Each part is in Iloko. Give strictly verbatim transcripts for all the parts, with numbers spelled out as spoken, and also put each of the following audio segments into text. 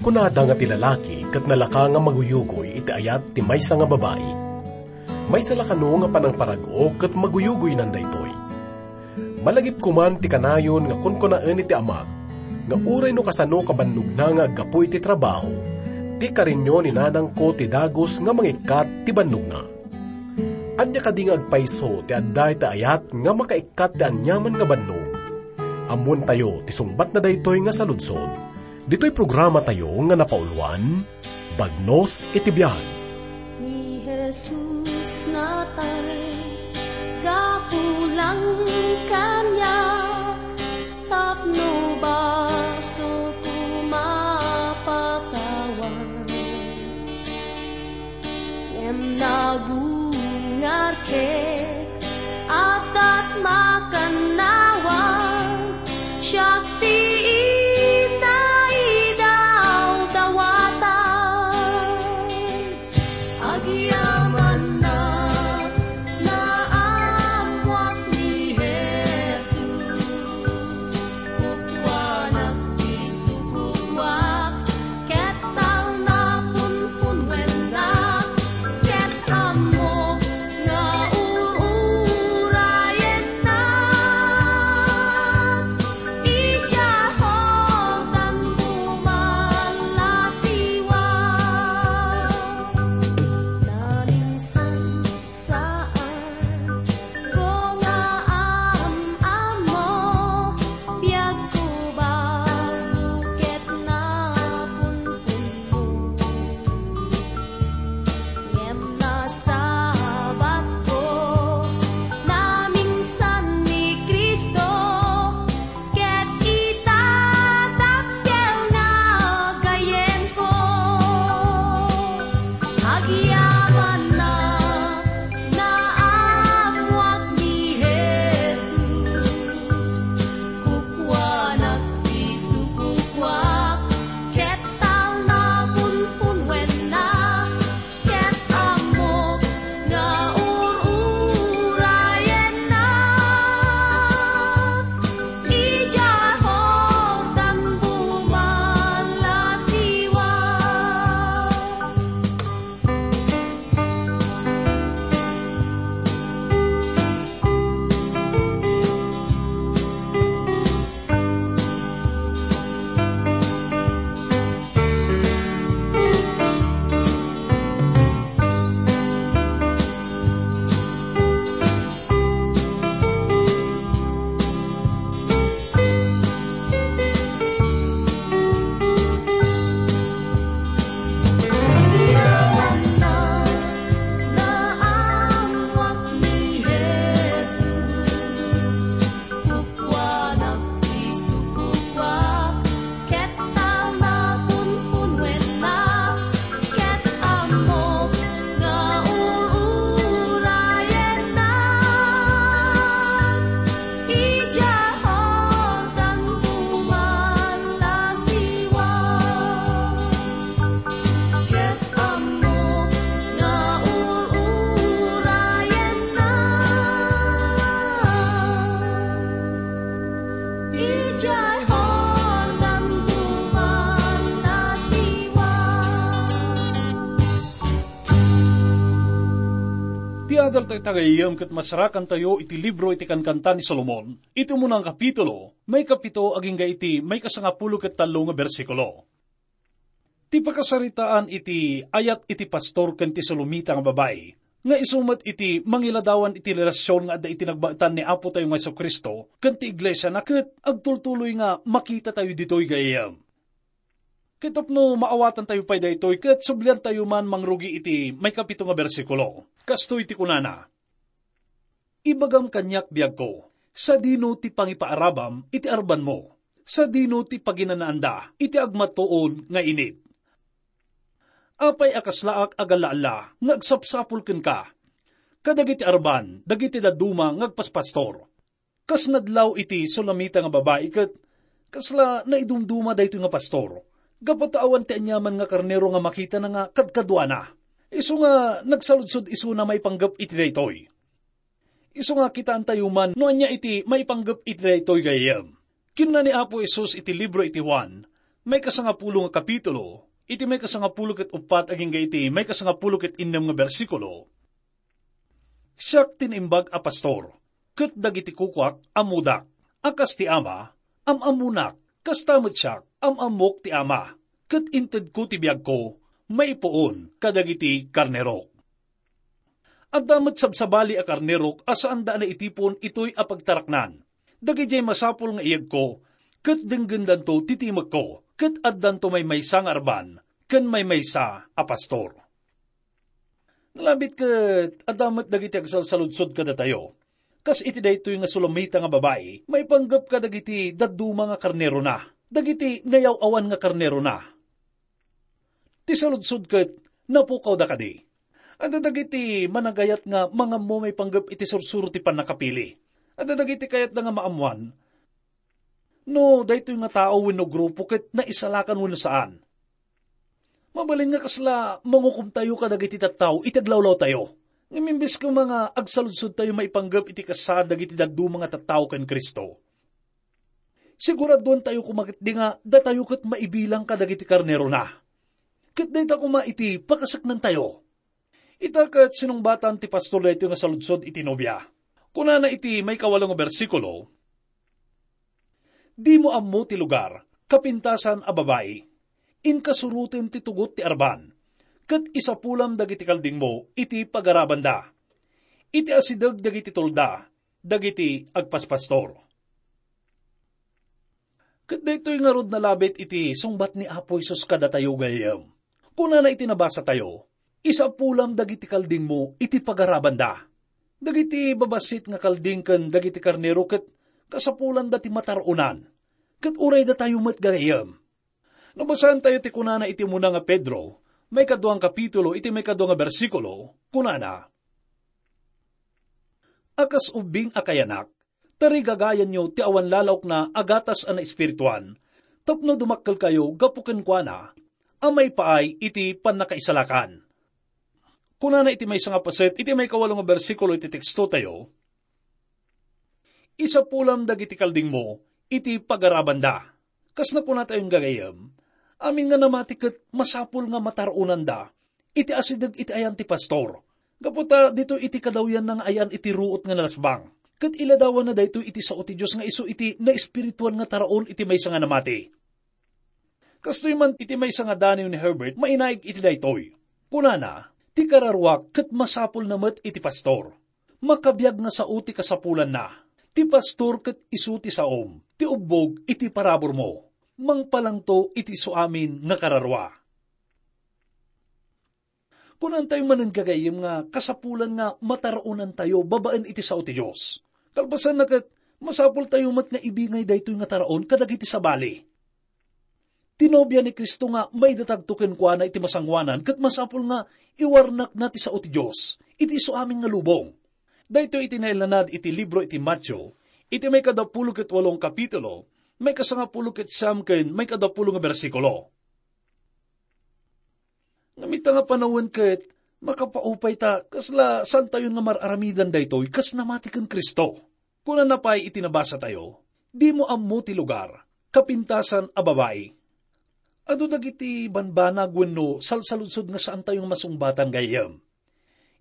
Kunada nga ti lalaki ket nalaka nga maguyugoy iti ayat ti maysa nga babai. Maysa la kano nga panangparag-o ket maguyugoynan daytoy. Malagipko man ti kanayon nga kunkunaen iti amak nga uray no kasano kabannogna nga aggapu iti trabaho, ti karinio ni nanangko ti dagus nga mangikkat ti bannogna. Ania kadi nga agpayso ti adda iti ayat nga makaikkat ti aniaman nga bannog? Ammoentayo ti sungbatna daytoy nga saludsod. Ditoy programatayo nga napauluan, Bagnos iti Biag. Ni Jesus natay, gapu lang kaniak, tapno basoko mapatawad. Ngem nagungar ket adda ti makannawan, siak ti inaidawdawatan. Agyamanna, naammoak ni Jesus. Kukuanak ti sukuak, ket talna punpunwennak, ket ammok nga ur-urayennak. Idiay Jordan bumalasiwag. Naminsan Saan ko nga am-ammo, biagko basol ket napunponmo. Ngem nasabatko, naminsan ni Cristo, ket ita dakkel nga gayyemko. Agyamanna, naammoak ni Jesus. Kukuanak ti sukuak, ket talna punpunwennak, ket ammok nga ur-urayennak. Idiay Jordan bumalasiwag. Kukuanak ti sukuak, ket talna punpunwennak, ket ammok nga ur-urayennak. Idiay Jordan bumalasiwag, ket ammok nga ur-urayennak. Idiay Jordan bumalasiwag. Ti adal tayo tagayem ket masarakantayo iti libro iti Kankanta ni Solomon, iti umuna nga kapitulo, maikapito agingga iti maikasangapulo ket tallo nga bersikulo. Ti pakasaritaan iti ayat iti pastor ken ti Solomita nga babai, nga isu met iti mangiladawan iti relasion nga adda iti nagbaetan ni Apotayo nga Jesu-Cristo ken ti Iglesiana, ket agtultuloy nga makitatayo ditoy gayyem. Ket tapno maawatantayo pay daytoy, ket subliantayo man mangrugi iti maikapito nga bersikulo. Kastoy ti kunana, "Ibagam kaniak, biagko, sadino ti pangipaarabam iti arbanmo? Sadino ti paginanaanda iti agmatuon nga init? Apay a kaslaak a galla-alla nga agsapsapul kenka kadagiti arban dagiti dadduma nga agpaspastor?" Kas nadlaw iti Sulamita nga babai ket kasla naidumduma daytoy nga pastor, gapu ta awan ti aniaman nga karnero nga makitana nga kadkaduana. Isu nga nagsaludsod isuna maipanggep iti daytoy. Isu nga kitaentayo man no ania iti maipanggep iti daytoy gayyem. Kinuna ni Apo Jesus iti libro iti Juan, Maikasangapulo nga kapitulo, iti maikasangapulo ket uppat agingga iti maikasangapulo ket innem nga bersikulo. Siak ti naimbag a pastor, ket dagiti kukuak ammodak, a kas ti Ama, am-ammonak, kasta met siak, am-ammok ti Ama, ket intedko ti biagko maipuon kadagiti karnerok. Adda met sabsabali a karnerok a saanda a naitipon itoy a pagtaraknan. Dagidiay masapul nga iyegko, ket denggendanto ti timekko, ket addanto maymaysa nga arban ken maymaysa a pastor. Nalabit ket adda met dagiti agsalsaludsod kadatayo. Kas iti daytoy nga Sulamita nga babai, maipanggep kadagiti dadduma nga karnerona, dagiti nayaw-awan nga karnerona. Ti saludsod ket, napukawda kadi? Adda dagiti managayat nga mangammo maipanggep iti sursuro ti pannakapili. Adda dagiti kayatda nga maammoan no daytoy nga tao wenno grupo ket naisalakan wenno saan. Mabalin nga kasla mangukomtayo kadagiti tattao iti aglawlawtayo. Ngem imbes koma nga agsaludsodtayo maipanggep iti kasasaad dagiti dadduma nga tattao ken Cristo, siguraduantayo koma ketdi nga datayo ket maibilang kadagiti karnerona. Ket dayta koma iti pakaseknantayo. Ita ket sinungbatan ti pastor daytoy nga saludsod iti nobia. Kunana iti maikawalo nga bersikulo, "Dimo ammo ti lugar, kapintasan a babai. Inkasuroten ti tugot ti arban, ket isapulam dagiti kaldingmo iti pagarabanda, iti asideg dagiti tolda dagiti agpaspastor." Ket daytoy ngarud nalabit iti sungbat ni Apo Jesus kadatayo, gayyem. Kunana iti nabasatayo, "Isapulam dagiti kaldingmo iti pagarabanda." Dagiti babassit nga kalding ken dagiti karnero ket kasapulanda ti mataruonan, ket uray datayo met, gayyem. No basaentayo ti kunana iti umuna nga Pedro, maikadua nga kapitulo, iti maikadua nga bersikulo, kunana, "A kas ubbing a kayanak, tarigagayanyo ti awan lalawkna a gatas a naespirituan, tapno dumakkelkayo gapu kenkuana a maipaay iti pannakaisalakan." Kunana iti maysa nga paset, iti maikawalo nga bersikulo iti tekstotayo, "Isapulam dagiti kaldingmo iti pagarabanda." Kas nakunatayon, gagayyem, amin nga namati ket masapul nga mataruonanda iti asideg iti ayan ti pastor. Gapu ta ditoy iti kadawyanna nga ayan iti ruot nga nalasbang, ket iladawanna daytoy iti sao ti Dios nga isu iti naespirituan nga taraon iti maysa nga namati. Kastoy man iti maysa nga daniw ni Herbert mainaig iti daytoy. Kunana, "Ti kararuak ket masapulna met iti pastor. Makabiag nga sao ti kasapulanna. Ti pastor ket isu ti saom, ti ubbog iti paraburmo. Mangpalangto iti isuamin nga kararua." Kunantayo manen, gagayyem, nga kasapulan nga mataruonantayo babaen iti sao ti Dios. Kalpasanna ket, masapultayo met nga ibingay daytoy nga taraon kadagiti sabali. Ti nobia ni Cristo nga maidatagto kenkuana iti masangoanan ket masapul nga iwarnakna ti sao ti Dios iti isuamin nga lubong. Daytoy iti naillanad iti libro iti Mateo, iti maikadapulo ket walo nga kapitulo, maikasangapulo ket siam ken maikadapulo nga bersikulo. Ngem ita nga panawen ket makapaupay ta kasla saantayon nga mar-aramidan daytoy kas namati ken Cristo. Kunana pay iti nabasatayo, "Dimo ammo ti lugar, kapintasan a babai." Adu dagiti banbanag wenno salsaludsod nga saantayo nga masungbatan, gayyem.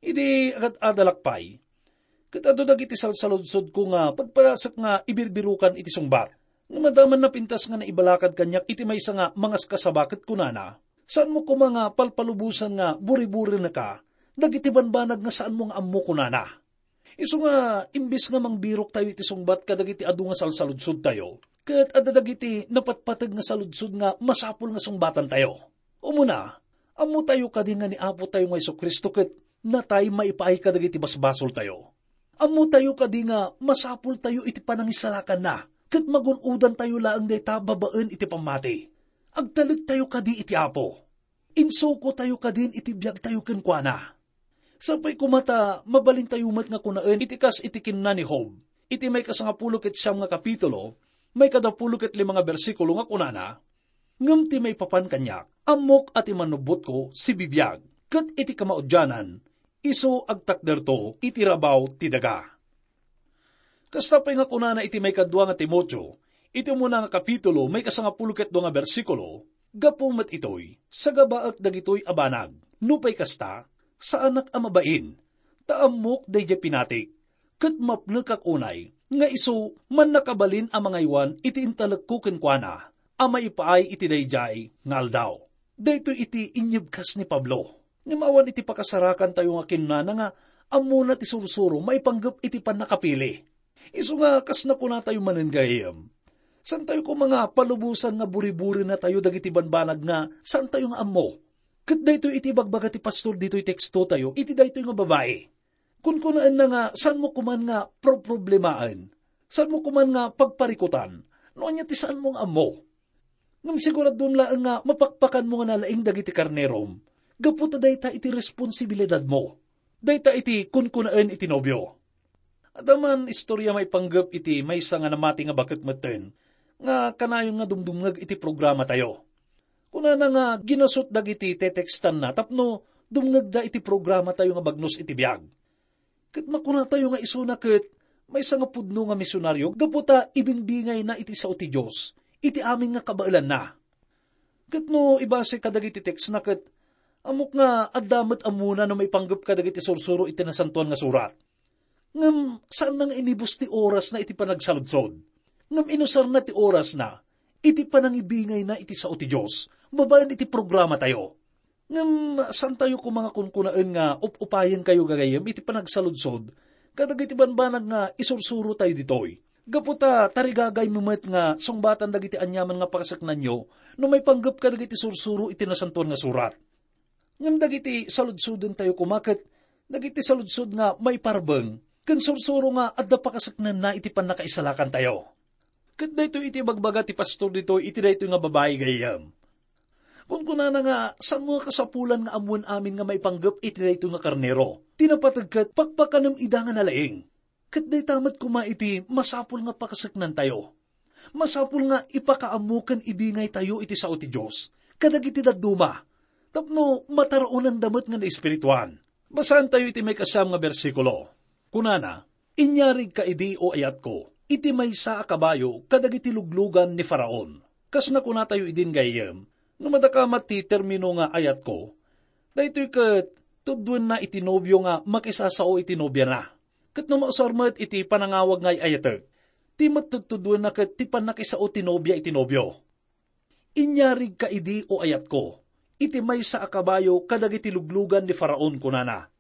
Idi agad-adalak pay, ket adu dagiti salsaludsodko nga pagpadasek nga ibirbirukan iti sungbat. Nga madaman napintas nga naibalakad kaniak iti maysa nga mangaskasaba ket kunana, "Saanmo koma nga palpalubosan nga buri-burinaka dagiti banbanag nga saanmo nga ammo," kunana. Isu nga, imbes nga mangbiroktayo iti sungbat kadagiti adu nga salsaludsodtayo, ket adda dagiti napatpateg nga saludsod nga masapul nga sungbatantayo. Umuna, ammotayo kadi nga ni Apotayo nga Jesu-Cristo ket natay maipaay kadagiti basbasoltayo? Ammotayo kadi nga masapultayo iti panangisalakanna, ket magun-odantayo laeng dayta babaen iti pammati? Agtalektayo kadi iti Apo? Insukotayo kadin iti biagtayo kenkuana? Sapay koma ta mabalintayo met nga kunaen iti kas iti kinuna ni Job, iti maikasangapulo ket siam nga kapitulo, maikadapulo ket lima nga bersikulo nga kunana, "Ngem ti maipapan kaniak, ammok a ti manubbotko sibibiag, ket iti kamaudianan, isu agtakderto iti rabaw ti daga." Kasta pay nga kunana iti maikadua nga Timoteo, Iti umuna nga kapitulo, maikasangapulo ket dua nga bersikulo, gapu met itoy, sagabaek dagitoy a banag. Nupay kasta, saanak a mabain, ta ammok daydiay pinatik, ket mapnekak unay nga isu mannakabalin a mangaywan iti intalekko kenkuana a maipaay iti daydiay nga aldaw. Daytoy iti inyebkas ni Pablo. Ngem awan iti pakasarakantayo nga kinunana nga ammona ti sursuro maipanggep iti pannakapili. Isu nga kas nakunatayo manen, gayyem, saantayo koma nga palubosan nga buriburinatayo dagiti banbanag nga saantayo nga ammo. Ket daytoy iti ibagbaga ti pastor ditoy tekstotayo iti daytoy nga babai. Kunkunaenna nga saanmo koman nga proproblemaen. Saanmo koman nga pagparikutan no ania ti saanmo nga ammo. Ngem siguradom laeng nga mapakpakanmo nga nalaing dagiti karnerom, gapu ta dayta iti responsibilidadmo. Dayta iti kunkunaen iti nobio. Adda man istorya maipanggep iti maysa nga namati nga baket metten nga kanayon nga dumdumngeg iti programatayo. Kunana nga ginasut dagiti tetekstanna tapno dumngegda iti programatayo nga bagnos iti biag. Ket makunatayo nga isuna ket maysa nga pudno nga misionaryo gapu ta ibingbingayna iti sao ti Dios iti amin nga kabaelanna. Ket no ibasek kadagiti tekstna ket ammok nga adda met ammona no maipanggep kadagiti sursuro iti Nasantoan nga Surat. Ngem saanna nga inibus ti orasna iti panagsaludsod. Ngem inusarna ti orasna iti panangibingayna iti sao ti Dios babaen iti programatayo. Ngem saantayo koma nga kunkunaen nga up-upayenkayo gagayyem iti panagsaludsod kadagiti banbanag nga isursurotayo ditoy. Gapu ta tarigagaymi met nga sungbatan dagiti aniaman nga pakasaknanyo no maipanggep kadagiti sursuro iti Nasantoan nga Surat. Ngem dagiti saludsodentayo koma ket dagiti saludsod nga maiparbeng ken sursuro nga adda pakasaknanna iti pannakaisalakantayo. Ket daytoy iti ibagbaga ti pastor ditoy iti daytoy nga babai gayyem. Kunkunana nga, saanmo nga kasapulan nga ammoen amin nga maipanggep iti daytoy nga karnero. Ti napateg ket pakpakanem ida nga nalaing. Ket dayta met koma iti masapul nga pakasaknantayo. Masapul nga ipakaammo ken ibingaytayo iti sao ti Dios kadagiti dadduma tapno mataraonanda met nga naespirituan. Basaentayo iti maikasiam nga bersikulo. Kunana, "Inyarigka idi, o ayatko, iti maysa a kabayo kadagiti luglugan ni Faraon." Kas nakunatayo idin gayyem, no madakamat ti termino nga ayatko, daytoy ket tuddoenna iti nobio nga makisasao iti nobiana. Ket no mausar met iti panangawag nga ay-ayatek, ti mattudtudoenna ket ti pannakisao ti nobia iti nobio. "Inyarigka idi, o ayatko, iti maysa a kabayo kadagiti luglugan ni Faraon," kunana.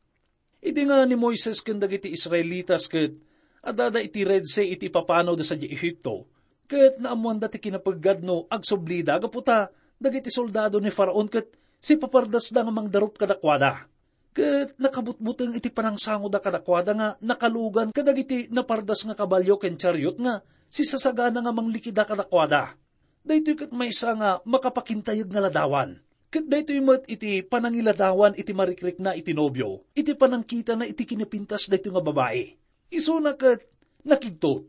Idi nga ni Moises ken dagiti Israelitas ket addada iti Red Sea iti ipapanawda sadiay Egipto, ket naammoanda ti kinapeggadno agsublida gapu ta dagiti soldado ni Faraon ket sipapardasda nga mangdarup kadakuada. Ket nakabutbuteng iti panangsangoda kadakuada nga nakalugan kadagiti napardas nga kabalio ken chariot nga sisasagana nga manglikida kadakuada. Daytoy ket maysa nga makapakintayeg nga ladawan. Ket daytoy met iti panangiladawan iti marikrikna iti nobio, iti panangkitana iti kinapintas daytoy nga babai. Isuna ket nakigtot.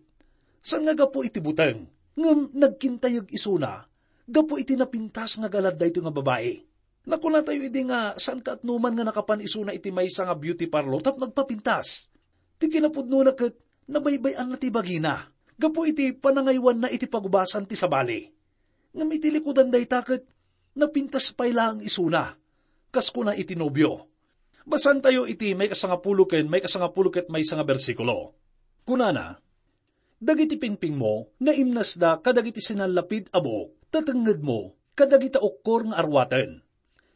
Saan nga gapu iti buteng, ngem nagkintayeg isuna gapu iti napintas nga galad daytoy nga babai. Nakunatayo idi nga saan kaatnoman nga nakapan isuna iti maysa nga beauty parlor tapno agpapintas. Ti kinapudnona ket nabaybay-anna ti bagina gapu iti panangaywanna iti pagubasan ti sabali. Ngem iti likudan dayta ket napintas pay laeng isuna, kas kuna iti nobio. Basaentayo iti maikasangapulo ken maikasangapulo ket maysa nga bersikulo. Kunana, "Dagiti pingpingmo naimnasda kadagiti sinallapid a buok, ta tengngedmo kadagita ukkor nga arwaten.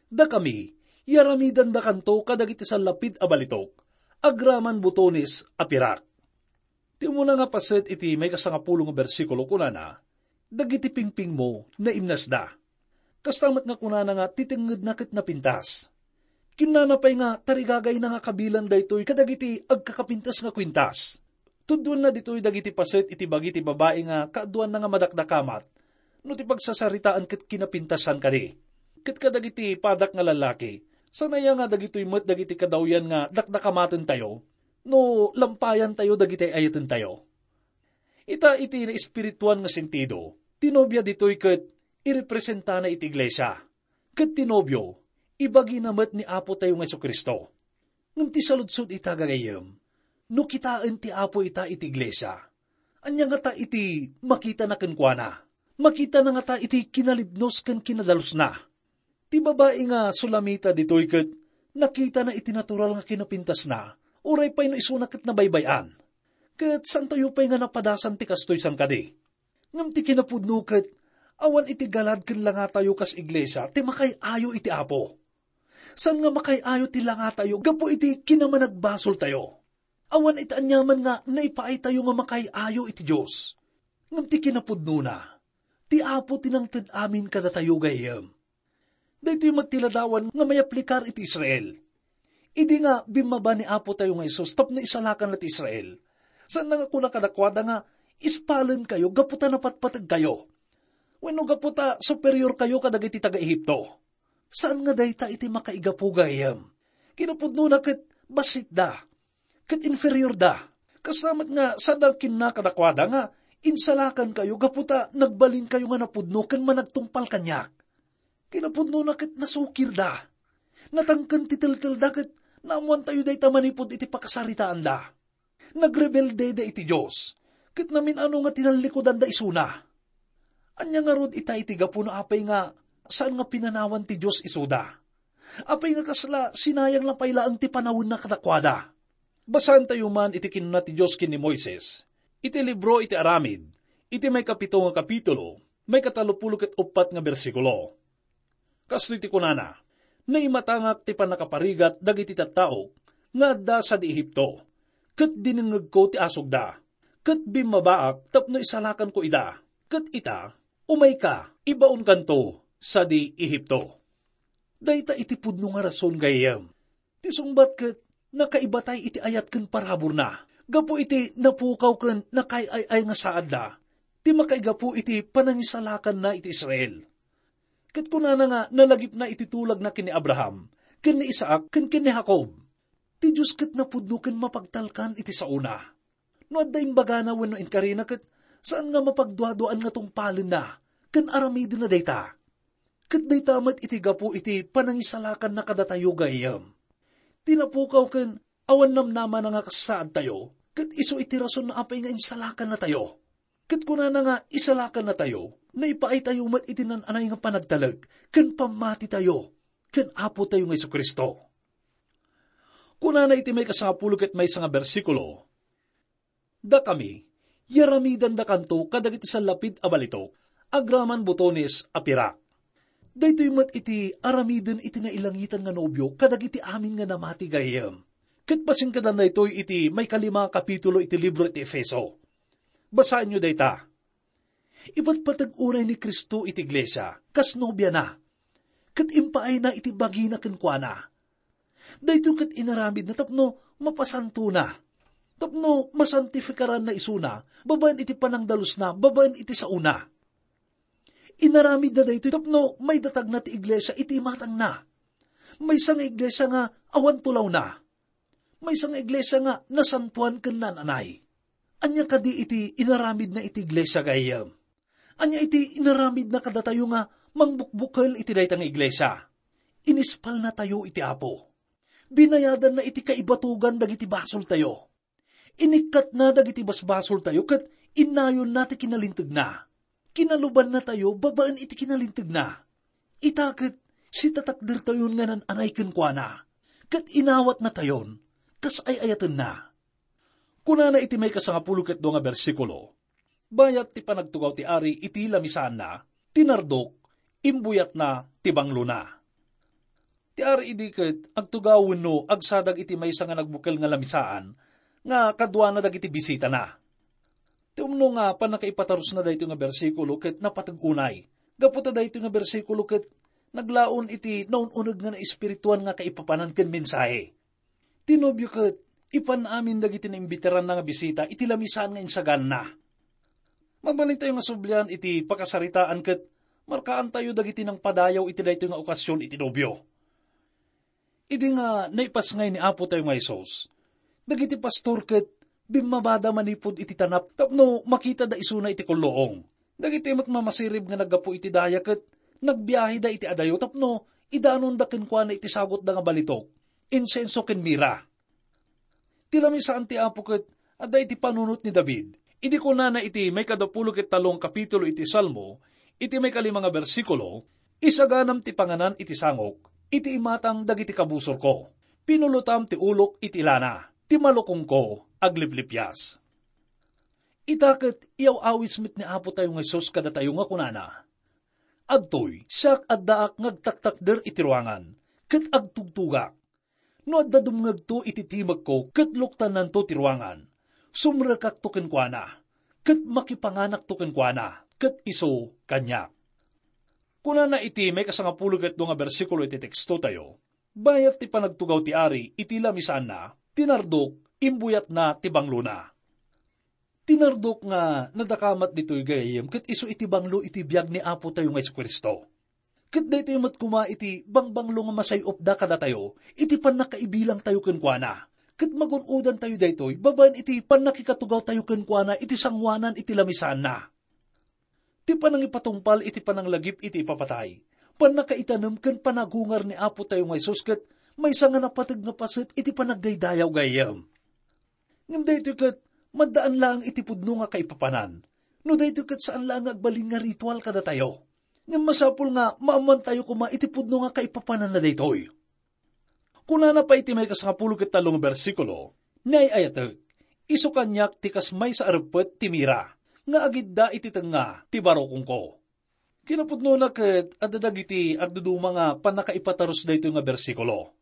Dakami, yaramidandakanto kadagiti sallapid a balitok, agraman butones a pirak." Ti umuna nga paset iti maikasangapulo nga bersikulo kunana, "Dagiti pingpingmo naimnasda." Kasta met nga kunana nga ti tengngedna ket napintas. Kinnana pay nga tarigagayna nga kabilan daytoy kadagiti agkakapintas nga kuintas. Tuddoenna ditoy dagiti paset iti bagi ti babai nga kaaduanna nga madakdakamat no ti pagsasaritaan ket kinapintasan kadi. Ket kadagiti padak nga lallaki, saan aya nga dagitoy met dagiti kadawyan nga dakdakamatentayo no lampayantayo dagiti ay-ayatentayo? Ita iti naespirituan nga sentido, ti nobia ditoy ket irepresentana iti iglesia, ket ti nobio, ibagina met ni Apotayo nga Jesu-Cristo. Ngem ti saludsod ita, gagayyem, no kitaen ti Apo ita iti iglesia, Ania ngata iti makitana kenkuana? Makitana ngata iti kinalibnos ken kinadalusna. Ti babai nga Sulamita ditoy ket nakitana iti natural nga kinapintasna, uray pay no isuna ket nabaybay-an. Ket saantayo pay nga napadasan ti kastoy, saan kadi? Ngem ti kinapudno ket awan iti galad ken langatayo kas iglesia ti makaay-ayo iti Apo. Saan nga makaay-ayo ti langatayo gapu iti kinamanagbasoltayo. Awan iti aniaman nga naipaaytayo nga makaay-ayo iti Dios. Ngem ti kinapudnona, ti Apo ti nangted amin kadatayo, gayyem. Daytoy met ti ladawan nga mayaplikar iti Israel. Idi nga bimmaba ni Apo tayo nga Jesus tapno isalakanna ti Israel, saan nga kuna kadakuada nga, "Ispalenkayo gapu ta napatpategkayo, wenno gapu ta superiorkayo kadagiti taga-Egipto." Saan nga dayta iti makaigapu, gayyem. Kinapudnona ket bassitda, ket inferiorda. Kasta met nga sada kinuna kadakuada nga, "Insalakankayo gapu ta nagbalinkayo nga napudno ken managtungpal kaniak." Kinapudnona ket nasukirda. Natangken ti teltelda ket naammoantayo dayta manipud iti pakasaritaanda. Nagrebelde da iti Dios, ket namin-ano nga tinallikudanda isuna. Ania ngarud ita iti gapu no apay nga saan nga pinanawan ti Dios isuda? Apay nga kasla sinayang na pay laeng ti panawenna kadakuada? Basaentayo man iti kinuna ti Dios ken ni Moises iti libro iti Aramid, iti maikapito nga kapitulo, maikatalopulo ket uppat nga bersikulo. Kastoy ti kunana, "Naimatangak ti pannakaparigat dagiti tattaok nga adda sadi Egipto, ket dinengngegko ti asugda, ket bimmabaak tapno isalakanko ida, ket ita, umayka, ibaonkanto sadi Egipto." Dayta iti pudno nga rason, gayyem. Ti sungbat ket nakaibatay iti ayat ken paraburna, gapu iti napukaw ken nakaay-ay nga saadda ti makaigapu iti panangisalakanna iti Israel. Ket kunana nga nalagipna iti tulagna ken ni Abraham, ken ni Isaac, ken ken ni Jacob, "Ti Dios ket napudno ken mapagtalkan iti saona. No adda imbagana wenno inkarina ket saan nga mapagduaduaan nga tungpalenna ken aramidenna dayta." Ket dayta met iti gapu iti panangisalakanna kadatayo, gayyem. Ti napukaw ken awan namnamana nga kasaadtayo, ket isu iti rason no apay nga insalakannatayo. Ket kunana nga isalakannatayo, naipaaytayo met iti naan-anay nga panagtalek ken pammatitayo ken Apotayo nga Jesu-Cristo. Kunana iti maikasangapulo ket maysa nga bersikulo, "Dakami, yaramidandakanto kadagiti sallapid a balitok, agraman botones a pirak." Daytoy met iti aramiden iti nailangitan nga nobio kadagiti amin nga namati, gayyem. Ket pasingkadan daytoy iti maikalima a kapitulo iti libro iti Efeso. Basaenyo dayta. Ipatpateg unay ni Cristo iti iglesia kas nobiana, ket impaayna iti bagina kenkuana. Daytoy ket inaramidna tapno mapasantona, tapno masantifikaranna isuna babaen iti panangdalusna babaen iti saona. Inaramidna daytoy tapno maidatagna ti iglesia iti imatangna. Maysa nga iglesia nga awan tulawna. Maysa nga iglesia nga nasantoan ken naan-anay. Ania kadi iti inaramidna iti iglesia, gayyem? Ania iti inaramidna kadatayo nga mangbukbukel iti dayta nga iglesia? Inispalnatayo iti Apo. Binayadanna iti kaibatogan dagiti basoltayo. Inikkatna dagiti basbasoltayo ket innayonna ti kinalintegna. Kinalubannatayo babaen iti kinalintegna. Ita ket sitatakdertayon nga naan-anay kenkuana, ket inawatnatayon kas ay-ayatenna. Kunana iti maikasangapulo ket dua nga bersikulo, "Bayat ti panagtugaw ti ari iti lamisaanna, ti nardok, imbuyatna ti banglona." Ti ari idi ket agtugaw wenno agsadag iti maysa nga nagbukel nga lamisaan nga kaduana dagiti bisitana. Ti umno nga pannakaipatarusna daytoy nga bersikulo ket napateg unay, gapu ta daytoy nga bersikulo ket naglaon iti naun-uneg nga naespirituan nga kaipapanan ken mensahe. Ti nobio ket ipan amin dagiti naimbitaranna nga bisita iti lamisaan nga insaganna. Mabalintayo nga sublian iti pakasaritaan ket markaantayo dagiti nangpadayaw iti daytoy nga okasion iti nobio. Idi nga naipasngay ni Apotayo nga Jesus, dagiti pastor ket bimmabada manipud iti tanap tapno makitada isuna iti kulluong. Dagiti met mamasirib nga naggapu iti daya ket nagbiaheda iti adayo tapno idanonda kenkuana iti sagutda nga balitok, insenso ken mira. Ti lamisaan ti Apo ket adda iti panunot ni David, Idi kunana iti maikadapulo ket tallo nga kapitulo iti Salmo, iti maikalima nga bersikulo, "Isaganam ti panganan iti sangok, iti imatang dagiti kabusorko. Pinulotam ti ulok iti lana, ti malukongko agliplipias." Ita ket iyaw-awis met ni Apo tayo nga Jesus kadatayo nga kunana, "Adtoy, siak addaak nga agtaktakder iti ruangan, ket agtugtugak. No adda dumngegto iti timekko ket luktannanto ti ruangan, sumrekakto kenkuana, ket makipanganakto kenkuana, ket isu kaniak." Kunana iti maikasangapulo ket dua nga bersikulo iti tekstotayo, "Bayat ti panagtugaw ti ari iti lamisaanna, ti nardok, imbuyatna ti banglona." Ti nardok nga nadakamat ditoy gayem ket isu iti banglo iti biag ni Apo tayo nga Jesu-Cristo. Ket daytoy met koma iti bangbanglo nga masay-opda kadatayo iti pannakaibilang tayo kenkuana. Ket magun-odan tayo daytoy babaen iti pannakikatugaw tayo kenkuana iti sangoanan iti lamisaanna. Ti panangipatungpal iti pananglagip iti ipapatay, pannakaitanem ken panagungar ni Apo tayo nga Jesus ket maysa nga napateg nga paset iti panagdaydayaw gayem. Ngem daytoy ket maddaan laeng iti pudno nga kaipapanan. No daytoy ket saan laeng nga agbalin nga ritual kadatayo. Ngem masapul nga maammoantayo koma iti pudno nga kaipapananna daytoy. Kunana pay iti maikasangapulo ket tallo nga bersikulo, "Naay-ayatek, isu kaniak ti kas maysa a reppet ti mira, nga agidda iti tengnga ti barukongko." Kinapudnona ket adda dagiti agduduma nga pannakaipatarus daytoy nga bersikulo.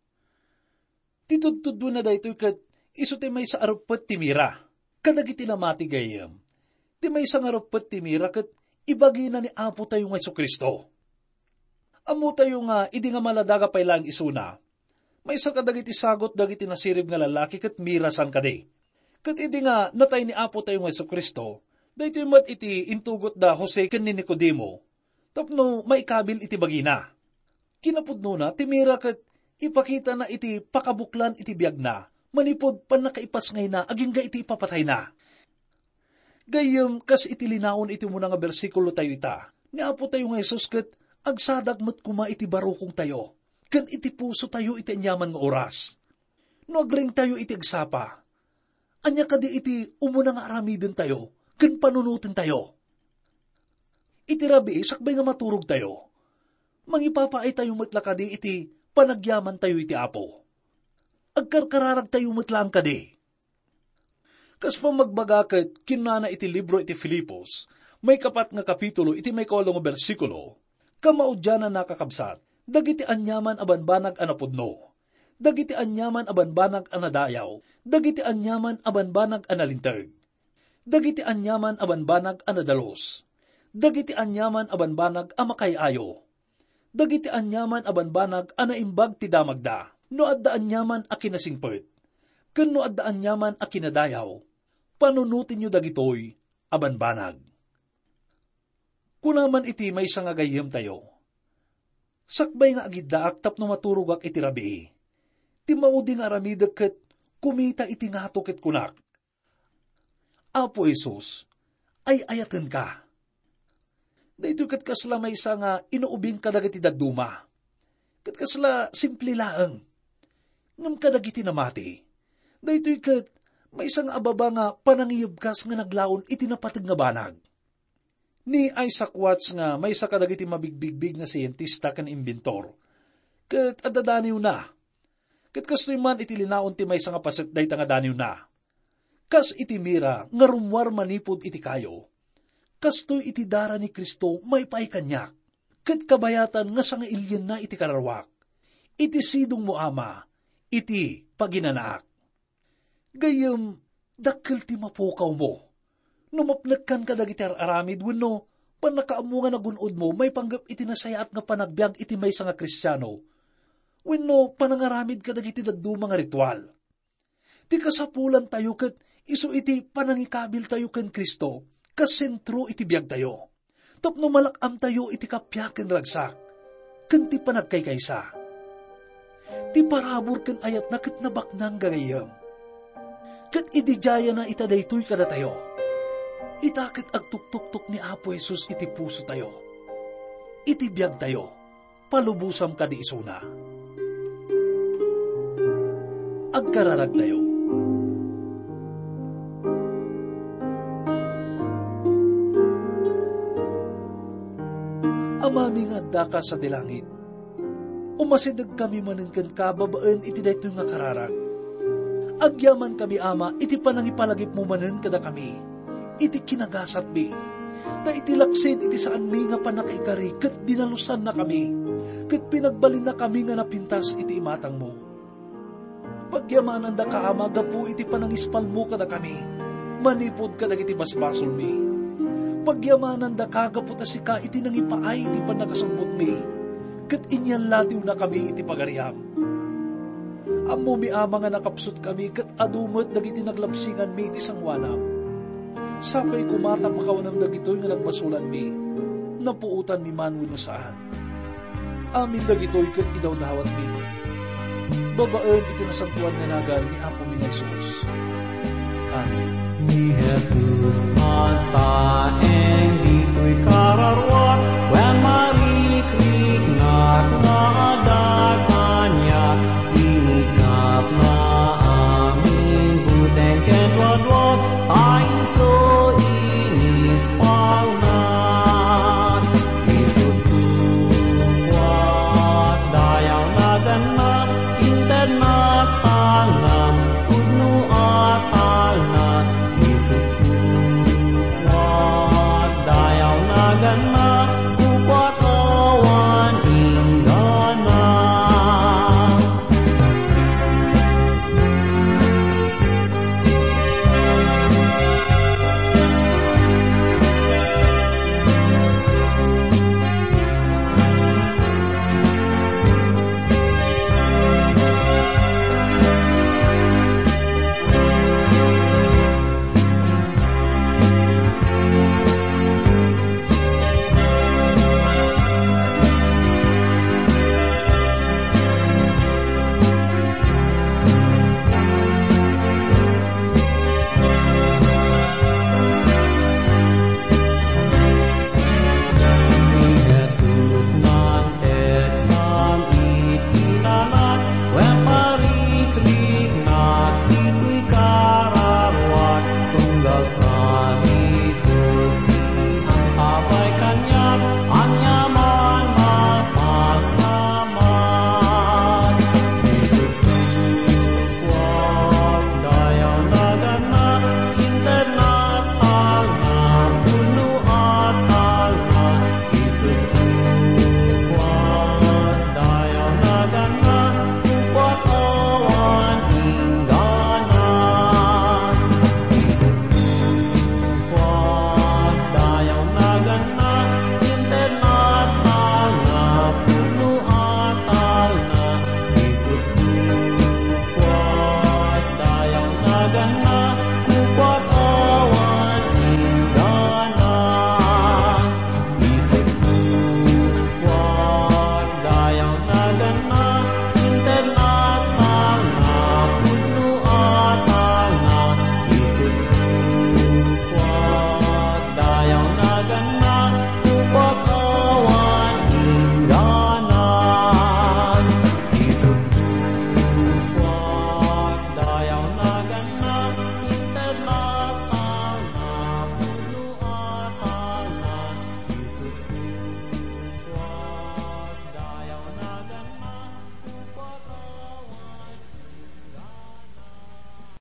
Ti tudtudona daytoy ket isu ti maysa a reppet ti mira kadagiti namati gayem. Ti maysa nga reppet ti mira ket ibagina ni Apo tayo nga Jesu-Cristo. Ammotayo nga idi nga maladaga pay laeng isuna, maysa kadagiti sagut dagiti nasirib nga lallaki ket mira san kadi. Ket idi nga natay ni Apo tayo nga Jesu-Cristo, daytoy met iti intugot da Jose ken ni Nicodemo tapno maikabil iti bagina. Kinapudnona, ti mira ket ipakitana iti pakabuklan iti biagna manipud pannakaipasngayna agingga iti ipapatayna. Gayyem, kas iti linaon iti umuna nga bersikulo tayo ita, ni Apo tayo nga Jesus ket agsadag met koma iti barukong tayo ken iti puso tayo iti aniaman nga oras. No agring tayo iti agsapa, ania kadi iti umuna nga aramiden tayo ken panunoten tayo? Iti rabii, sakbay nga maturog tayo, mangipapaay tayo met la kadi iti panagyaman tayo iti Apo? Agkarkararag tayo met laeng kadi? Kas pamagbaga ket kinunana iti libro iti Filipos, maikapat nga kapitulo iti maikawalo nga bersikulo, "Kamaudiananna, kakabsat, dagiti aniaman a banbanag a napudno, dagiti aniaman a banbanag a nadayaw, dagiti aniaman a banbanag a nalinteg, dagiti aniaman a banbanag a nadalus, dagiti aniaman a banbanag a makaay-ayo, dagiti aniaman a banbanag a naimbag ti damagda, no adda aniaman a kinasingpet, ken no adda aniaman a kinadayaw, panunotenyo dagitoy a banbanag." Kuna man iti maysa nga gayyemtayo, "Sakbay nga agiddaak tapno maturogak iti rabii, ti maudi nga aramidek ket kumita iti ngato ket kunak, 'Apo Jesus, ay-ayatenka.'" Daytoy ket kasla maysa nga inuubing kadagiti dadduma, ket kasla simple laeng. Ngem kadagiti namati, daytoy ket maysa nga ababa nga panangiyebkas nga naglaon iti napateg nga banag. Ni Isaac Watts nga maysa kadagiti mabigbigbig nga sientista ken imbentor, ket adda daniwna. Ket kastoy man iti linaon ti maysa nga paset dayta nga daniwna. Kas iti mira nga rummuar manipud iti kayo, kastoy iti dara ni Cristo maipaay kaniak, ket kabayatan nga sangailienna iti kararuak, iti sidongmo, Ama, iti paginanaak. Gayyem, dakkel ti mapukawmo no mapnekkan kadagiti ar-aramid wenno pannakaammo nga nagun-odmo maipanggep iti nasayaat nga panagbiag iti maysa nga Kristiano wenno panangaramid kadagiti dadduma nga ritual. Ti kasapulantayo ket isu iti panangikabiltayo ken Cristo kas sentro iti biagtayo, tapno malak-amtayo iti kappia ken ragsak ken ti panagkaykaysa. Ti parabur ken ayatna ket nabaknang gagayyem. Ket idi dayana ita daytoy kadatayo, ita ket agtuktoktok ni Apo Jesus iti pusotayo, iti biagtayo, palubosam kadi isuna. Agkararagtayo. Amami nga addaka sadi langit, umasidegkami manen kenka babaen iti daytoy nga kararag. Agyamankami, Ama, iti panangipalagipmo manen kadakami iti kinagasatmi. Ta iti laksid iti saanmi nga pannakaikari ket dinalosannakami, ket pinagbalinnakami nga napintas iti imatangmo. Pagyamanandaka, Ama, gapu iti panangispalmo kadakami, manipud kadagiti basbasolmi. Pagyamanandaka gapu ta sika iti nangipaay iti pannakasubbotmi, ket inyallatiwnakami iti pagariam. Ammomi, Ama, nga nakapsutkami ket adu met dagiti naglabsinganmi iti sangoanam. Sapay koma ta pakawanam dagitoy nga nagbasolanmi, napuotanmi man wenno saan. Amin dagitoy ket idawdawatmi babaen iti nasantoan nga nagan ni Apomi nga Jesus. Amen. Ni Jesus agtaeng ditoy kararuak, wen marikriknak nga adda kaniak, inikapna amin buteng ken duaduak, ta isu inispalna. Isut' kuak, dayaw naganna, intednak talna, pudno a talna. Isut' kuak, dayaw naganna, kukuak awan inggana. Ni Jesus nangteksam iti lalat, wen marikriknak ditoy kararuak, tunggal talikusi ang abay kaniak, aniaman mapasamak. Isut' kuak, dayaw naganna, intednak talna, pudno a talna. Isut' kuak, dayaw naganna, kukuak awan inggana. Isut' kuak, dayaw naganna, intednak talna, pudno a talna. Isut' kuak, dayaw naganna,